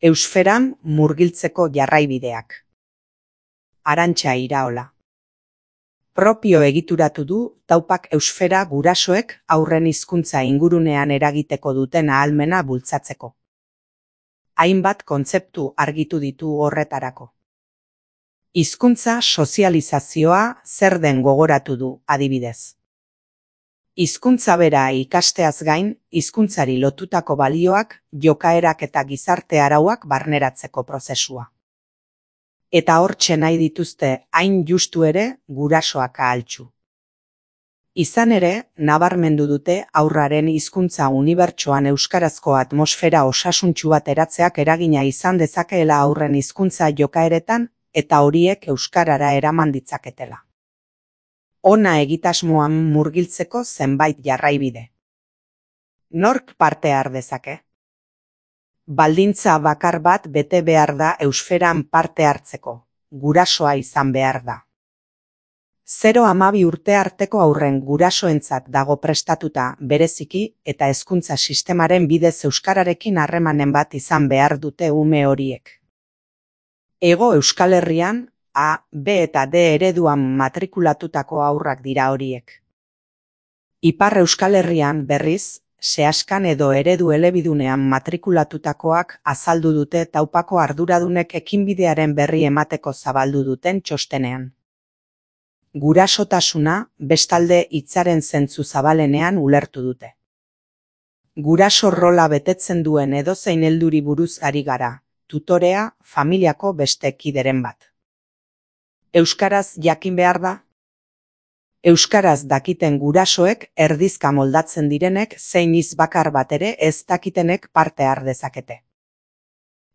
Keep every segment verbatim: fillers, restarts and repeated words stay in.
Eusferan murgiltzeko jarraibideak. Arantxa Iraola. Propio egituratu du taupak eusfera gurasoek haurren hizkuntza ingurunean eragiteko duten ahalmena bultzatzeko. Hainbat kontzeptu argitu ditu horretarako. Hizkuntza sozializazioa zer den gogoratu du, adibidez. Hizkuntza bera ikasteaz gain, hizkuntzari lotutako balioak, jokaerak eta gizarte arauak barneratzeko prozesua. Eta hortxe nahi dituzte hain justu ere gurasoak ahaltsu. Izan ere, nabarmendu dute haurraren hizkuntza unibertsoan euskarazko atmosfera osasuntsu bat eratzeak eragina izan dezakeela haurren hizkuntza jokaeretan eta horiek euskarara eraman ditzaketela. Ona egitasmoan murgiltzeko zenbait jarraibide. Nork parte har dezake? Baldintza bakar bat bete behar da eusferan parte hartzeko, gurasoa izan behar da. Zero hamabi urte arteko haurren gurasoentzat dago prestatuta bereziki eta hezkuntza sistemaren bidez euskararekin harremanen bat izan behar dute ume horiek. Hego Euskal Herrian, A, B eta D ereduan matrikulatutako haurrak dira horiek. Ipar Euskal Herrian berriz, sehaskan edo eredu elebidunean matrikulatutakoak azaldu dute taupako arduradunek ekinbidearen berri emateko zabaldu duten txostenean. Gurasotasuna bestalde hitzaren zentzu zabalenean ulertu dute. Guraso rola betetzen duen edozein helduri buruz ari gara, tutorea, familiako beste kideren bat. Euskaraz jakin behar da? Euskaraz dakiten gurasoek erdizka moldatzen direnek zein hitz bakar bat ere ez dakitenek parte har dezakete.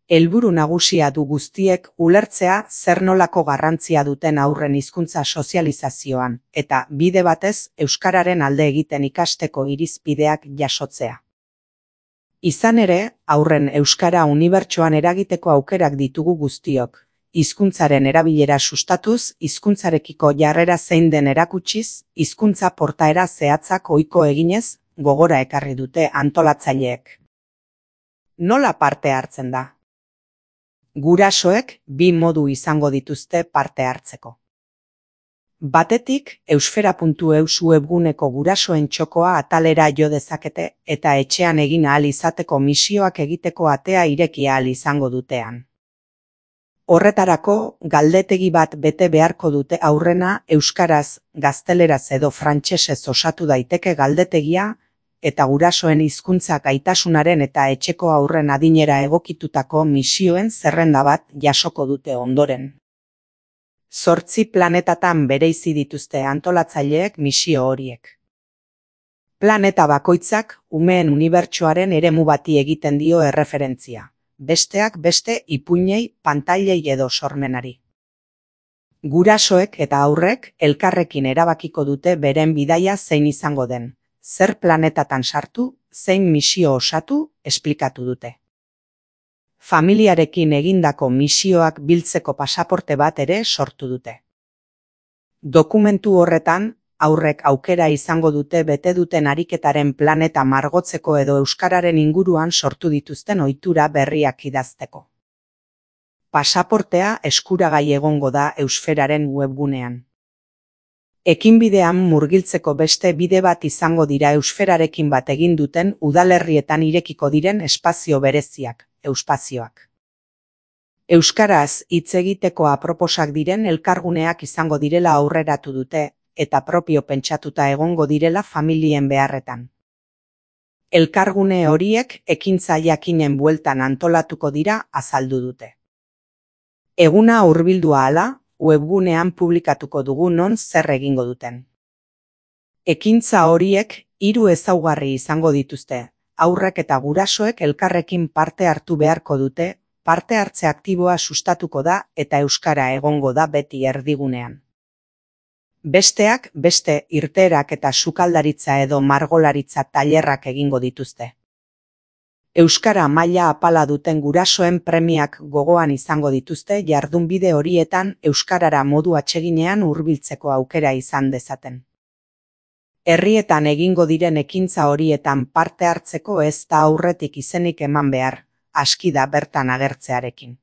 Helburu nagusia du guztiek ulertzea zer nolako garrantzia duten haurren hizkuntza sozializazioan eta bide batez euskararen alde egiten ikasteko irizpideak jasotzea. Izan ere, haurren euskara unibertsoan eragiteko aukerak ditugu guztiok. Hizkuntzaren erabilera sustatuz, hizkuntzarekiko jarrera zein den erakutsiz, hizkuntza portaera zehatzak ohiko eginez, gogora ekarri dute antolatzaileek. Nola parte hartzen da? Gurasoek bi modu izango dituzte parte hartzeko. Batetik, eusfera puntu eus webguneko gurasoen txokoa atalera jo dezakete eta etxean egin ahal izateko misioak egiteko atea ireki ahal izango dutean. Horretarako, galdetegi bat bete beharko dute aurrena euskaraz, gazteleraz edo frantsesez osatu daiteke galdetegia, eta gurasoen hizkuntza gaitasunaren eta etxeko haurren adinera egokitutako misioen zerrenda bat jasoko dute ondoren. Zortzi planetatan bereizi dituzte antolatzaileek misio horiek. Planeta bakoitzak umeen unibertsoaren eremu bati egiten dio erreferentzia. Besteak beste ipuinei, pantailei edo sormenari. Gurasoek eta haurrek elkarrekin erabakiko dute beren bidaia zein izango den, zer planetatan sartu, zein misio osatu, esplikatu dute. Familiarekin egindako misioak biltzeko pasaporte bat ere sortu dute. Dokumentu horretan, haurrek aukera izango dute bete duten ariketaren planeta margotzeko edo euskararen inguruan sortu dituzten ohitura berriak idazteko. Pasaportea eskuragai egongo da eusferaren webgunean. Ekinbidean murgiltzeko beste bide bat izango dira eusferarekin bat egin duten udalerrietan irekiko diren espazio bereziak, euspazioak. Euskaraz hitz egiteko aproposak diren elkarguneak izango direla aurreratu dute, eta propio pentsatuta egongo direla familien beharretan. Elkargune horiek ekintza jakinen bueltan antolatuko dira azaldu dute. Eguna hurbildua ahala, webgunean publikatuko dugu non zer egingo duten. Ekintza horiek hiru ezaugarri izango dituzte, haurrek eta gurasoek elkarrekin parte hartu beharko dute, parte hartze aktiboa sustatuko da eta euskara egongo da beti erdigunean. Besteak beste irteerak eta sukaldaritza edo margolaritza tailerrak egingo dituzte. Euskara maila apala duten gurasoen premiak gogoan izango dituzte jardunbide horietan euskarara modu atseginean hurbiltzeko aukera izan dezaten. Herrietan egingo diren ekintza horietan parte hartzeko ez da aurretik izenik eman behar, aski da bertan agertzearekin.